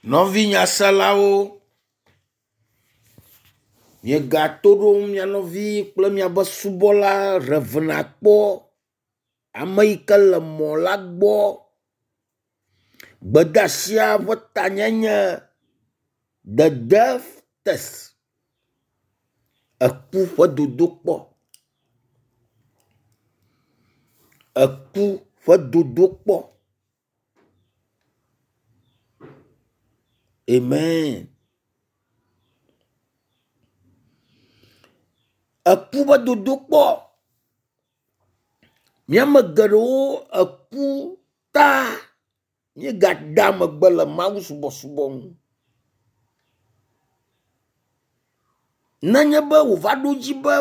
Nɔvi nyaselawo, miegato ɖom mia nɔvi kple miaƒe subɔla Rev. Akpɔ, ame yi ke le mɔ la gbɔ. Gbedeasia ƒe tanyae nye “The death test” eku ƒe dodokpɔ. Eku ƒe dodokpɔ. Amen. Eku ƒe dodokpɔ. Míame geɖewo eku ta míegada megbe le mawusubɔsubɔ ŋu. Nenye be wòva ɖo edzi be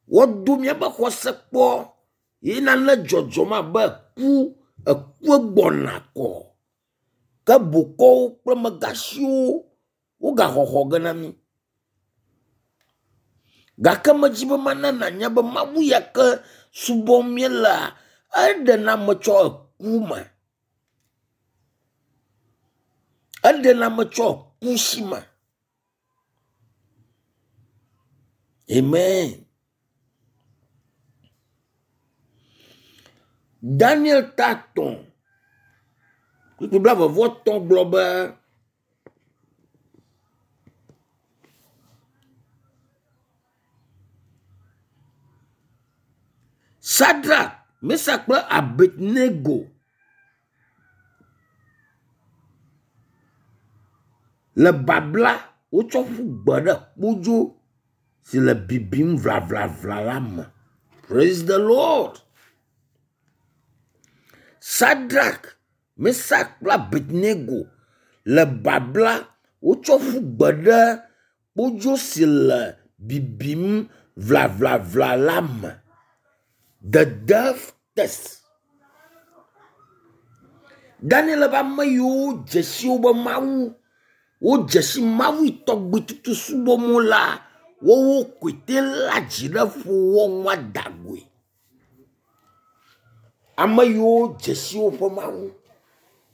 woado míaƒe xɔse kpɔ ye nane dzɔdzɔm abe ku, ekue gbɔna kɔ. Ke bokɔwo kple amegãxiwo wogaxɔxɔ ge na mí. Gake medzi be mana nànya be Mawu ya ke subɔm míelea, eɖena ame tso eku me. Eɖena ame tso eku si me. Amen. Daniel ta 3 kpukpui blaeve-vɔ-etɔ̃ gblɔ be, Sadrak, Mesak kple Abednego le babla wotsɔ ƒu gbe ɖe kpodzo si le bibim vlavlavla la me. Praise the Lord. Sadrak, Mesak kple Abednego le babla wotsɔ ƒu gbe ɖe kpodzo si le bibim vlavlavla la me. The death test. Daniel ƒe ame yiwo dze si woƒe Mawu, wodze si Mawu yi tɔgbi tutu subɔm wolea, woawo koe te léa dzi ɖe ƒo wɔ nua da goe. Ame yiwo dze si woƒe Mawu,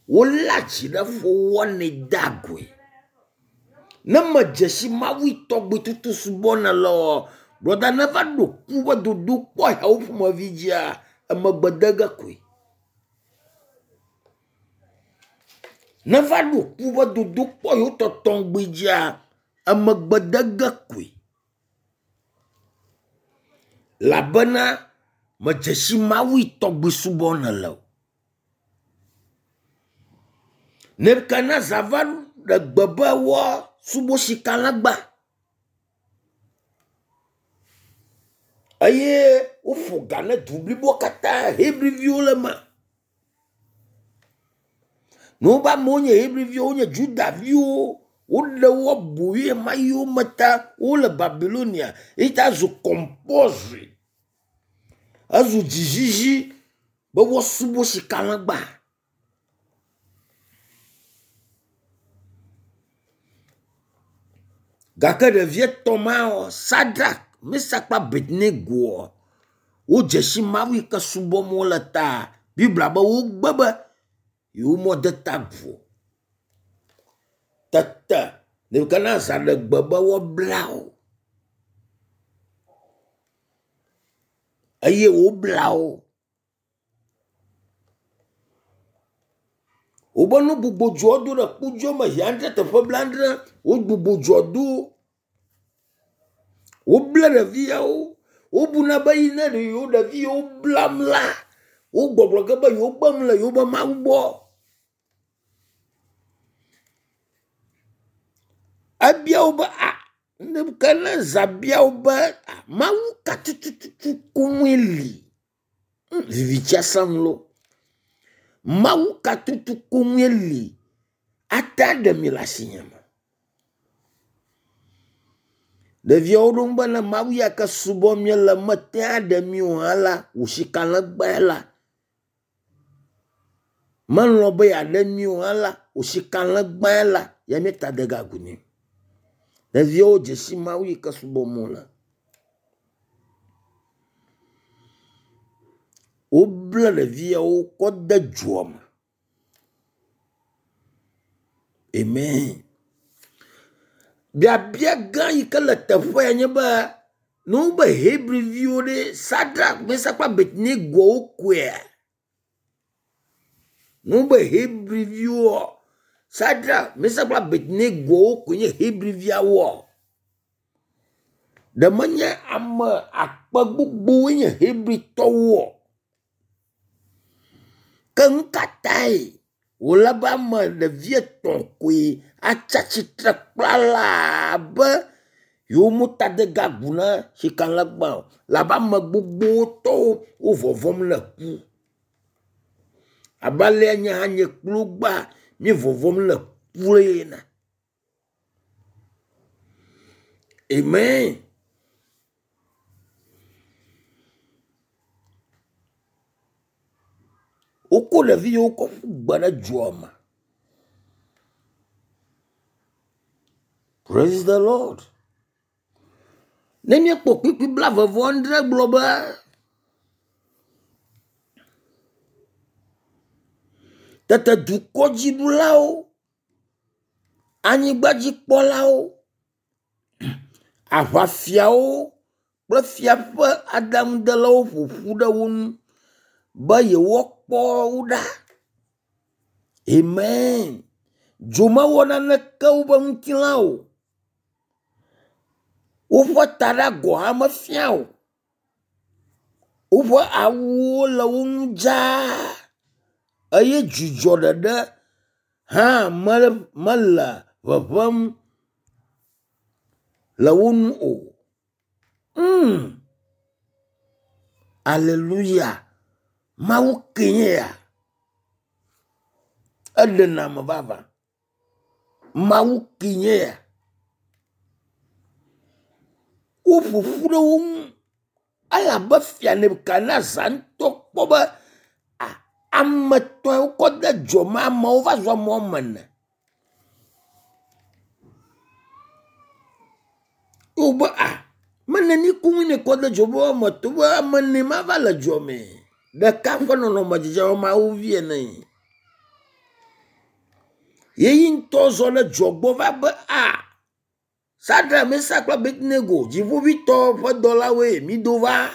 woléa dzi ɖe ƒo wɔnɛ dea goe. Ne medze si Mawu yi tɔgbi tutu subɔm nèle oa, brɔda neva ɖo ku ƒe dodokpɔ yawo ƒomevi dzia, emegbe de ge koe. Neva ɖo ku ƒe dodokpɔ yewo tɔtɔŋgbi dzia, emegbe de ge koe. Elabena medze si Mawu yi tɔgbi subɔm nèle o. Nebukadnezar va ɖe gbe be woasubɔ sikalãgba eye woƒo ga ne du bliboa katã Hebriviwo le eme. Ne wobe amewo nye Hebriviwo, wonye Judaviwo, woɖe wo aboyoe ɣemaɣi yiwo me ta wole Babilonia eyi ta zu compulsory. Ezu dzizizi be woasubɔ sikalãgba. Gake ɖevi etɔ̃ mawo, Sadrak, Mesak kple Abednegoa, wodze si Mawu yi ke subɔm wole ta Biblia be wogbe be yewomede ta agu o. Tete Nebukadnezar ɖe gbe be woabla wo eye wobla wo. Wobe nu gbogbo dzoa do ɖe kpodzo me zi adre teƒe blaadre. Wogbugbɔ dzoa do. Woble ɖeviawo. Wobuna be yi ne ɖe yewo ɖevi yewo blam la, wogbɔgblɔ ge be yewogbe nu le yewoƒe Mawu gbɔ. Ebia wo be a Nebukadnezar bia wo be a Mawu ka tututu koŋue li? Vivitsia sẽŋ loo. Mawu ka tutu koŋue li ate aɖe mi le asinye me? Ɖeviawo ɖo ŋu be ne Mawu ya ke subɔm míele mete aɖe mi o hã la, wò sikalẽgbae la, melɔ̃ be yeaɖe mi o hã la, wò sikalẽgbae la, ya míeta de ge agu nɛ. Ɖeviawo dze si Mawu yi ke subɔm wole. Woble ɖeviawo kɔ de dzoa me. Amen. Biabia gã yi ke le teƒea nye be ne wobe Hebriviwo ɖe Sadrak, Mesak kple Abednego wokoea? Ne wobe Hebriviwoa, Sadrak, Mesak kple Abednego wokoe nye Hebriviawoa? Ɖe menye ame akpe gbogbowoe nye Hebritɔwoa? Ke nu ka tae wòle be ame ɖevi etɔ̃ koe atsi atsitre kplalaa be yewometadedeagu na sikalẽgba o labe ame gbogbotɔwo wo vɔvɔ̃m le ku. Abe alea nye hã nye kple wo gbea mí vɔvɔ̃m le ku ene. Amen. Wokɔ ɖevi yiwo kɔ ƒu gbe ɖe dzoa me. Praise the Lord. Ne míekpɔ kpukpui blaeve-vɔ-adre gblɔ be tete dukɔdziɖulawo, anyigbadzikpɔlawo, aʋafiawo kple fia ƒe aɖaŋudelawo ƒo ƒu ɖe wo ŋu be yewoakpɔ wo ɖa. Amen. Dzo mewɔ naneke woƒe ŋutilã o. Woƒe taɖa gɔ̃ hã mefia o. Woƒe awuwo le wo ŋu dzaa eye dzudzɔ ɖeɖe hã mele ŋeŋem le wo ŋu o. Mm. Aleluya. Mawu kee nye ya. Eɖena ame vavã. Mawu kee nye ya. Woƒo ƒu ɖe wo ŋu elabe fia Nebukadnezar ŋutɔ kpɔ be ame etɔ̃e wokɔ de dzo me amewo va zu ame woame ene. Wobe a mene ni koŋ ne kɔ de dzo be woame etɔ̃ be ame ene ma va le dzoa me. Ɖeka ƒe nɔnɔme dzedze abe Mawu vi ene. Ye yi ŋutɔ zɔ ɖe dzoa gbɔ va be a Sadrak, Mesak kple Abednego, dziƒoʋĩtɔ ƒe dɔlawoe mido va.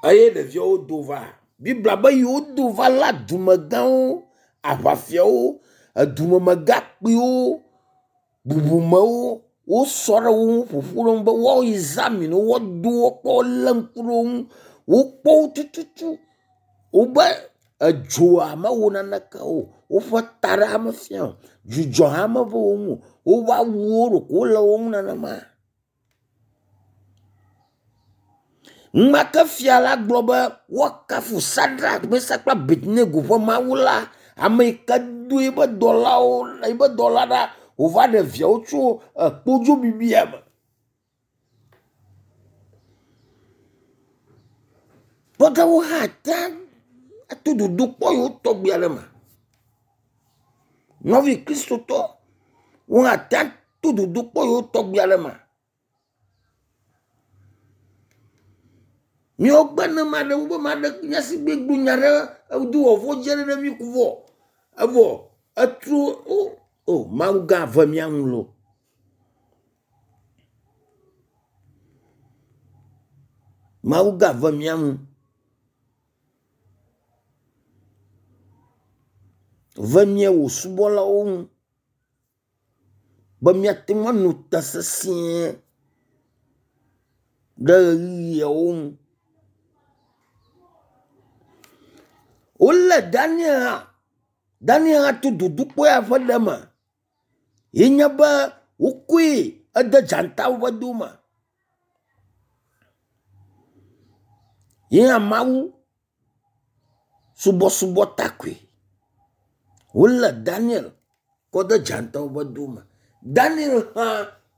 Eye ɖeviawo do va. Biblia be yewodo va la dumegãwo, aʋafiawo, edumemegãkpuiwo, bubumewo wosɔ ɖe wo ŋu ƒoƒu ɖe wo ŋu be woayi zamina wo, woado wo kpɔ, wolé ŋku ɖe wo ŋu, wokpɔ wo tututu. Wobe edzoa mewɔ naneke o, woƒe taɖa mefia o, dzudzɔ hã meve wo ŋu o, woƒe awuwo ɖeko wole wo ŋu nenema. Enumake fia la gblɔ be woakafu Sadrak, Mesak kple Abednego ƒe Mawu la, ame yi ke do eƒe dɔlawo eƒe dɔla ɖa wòva ɖe viawo tso ekpodzo bibia me. Kpɔɖeŋu hã te ato dodokpɔ yiwo tɔgbi aɖe me. Nɔvi kristotɔ wo hã te to dodokpɔ yiwo tɔgbi aɖe me. Míawo gbe ne ame aɖewo be ame aɖe nya si gbegblẽ nya ɖe edo vɔvɔ dze ɖe mí ko vɔ evɔ etro o o Mawu gã ve mía nu loo. Mawu gã ve mía nu. Ve mía wò subɔlawo ŋu be míate ŋu ano te sesĩe ɖe ɣeyiɣiawo ŋu. Wolé Daniel hã. Daniel hã to dodokpɔ ya ƒe ɖe me. Ye nye be wokɔe ede dzatawo ƒe do me. Ye hã Mawu subɔsubɔ ta koe. Wolé Daniel kɔ de dzatawo ƒe do me. Daniel hã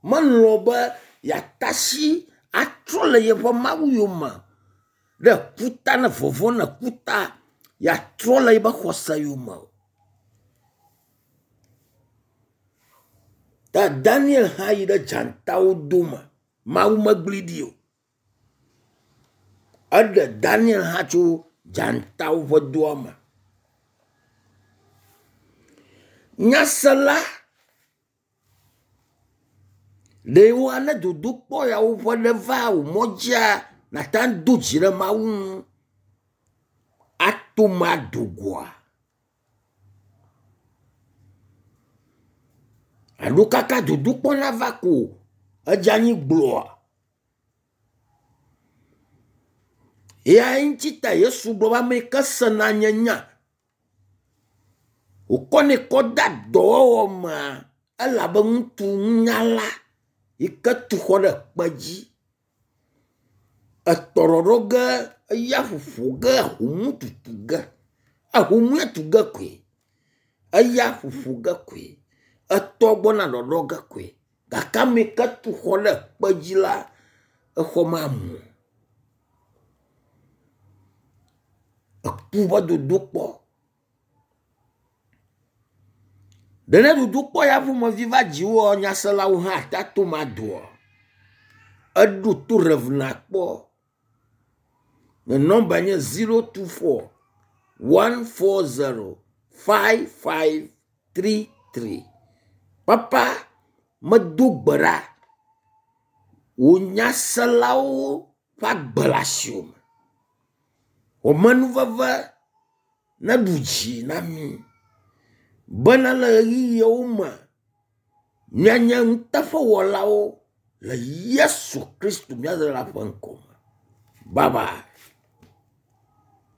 melɔ̃ be yeatasi atrɔ le yeƒe Mawu yome ɖe kuta ne vɔvɔ̃ ne kuta yeatrɔ le yeƒe xɔse yome o. Ta Daniel hã yi ɖe dzatawo dome. Mawu megblẽe ɖi o. Eɖe Daniel hã tso dzatawo ƒe doa me. Nyasela ɖe woa ne dodokpɔ yawo ƒe ɖe va wò mɔ dzia, nàte ŋu ado dzi ɖe Mawu ŋu ato eme ado goa? Alo kaka dodokpɔ nava ko edze anyi gblɔa? Eya ŋuti ta Yesu gblɔ be ame yi ke sena nye nya wòkɔnɛ kɔ de dɔwɔwɔ mea, ele abe ŋutsu nunyala yi ke tu xɔ ɖe kpe dzi. Etɔ ɖɔɖɔ ge, eya ƒoƒo ge, ahomu tutu ge. Ahomua tu ge koe, eya ƒoƒo ge koe, etɔ gbɔna ɖɔɖɔ ge koe. Gake ame yi ke tu xɔ ɖe kpe dzi la, exɔ mamu o. Eku ƒe dodokpɔ. Ɖe ne dodokpɔ ya ƒomevi va dziwòa, nyaselawo hã ate ato eme adoa? Eɖo to Rev nakpɔ. Nye nɔmba nye 024 140 5533. Papa, medo gbe ɖa. Wò nyaselawo ƒe agbe le asiwò me. Wò amenuveve neɖu dzi na mí bena le ɣeyiɣiawo me míanye nuteƒewɔlawo le Yesu Kristo mía Ɖela ƒe ŋkɔ me. Bye bye.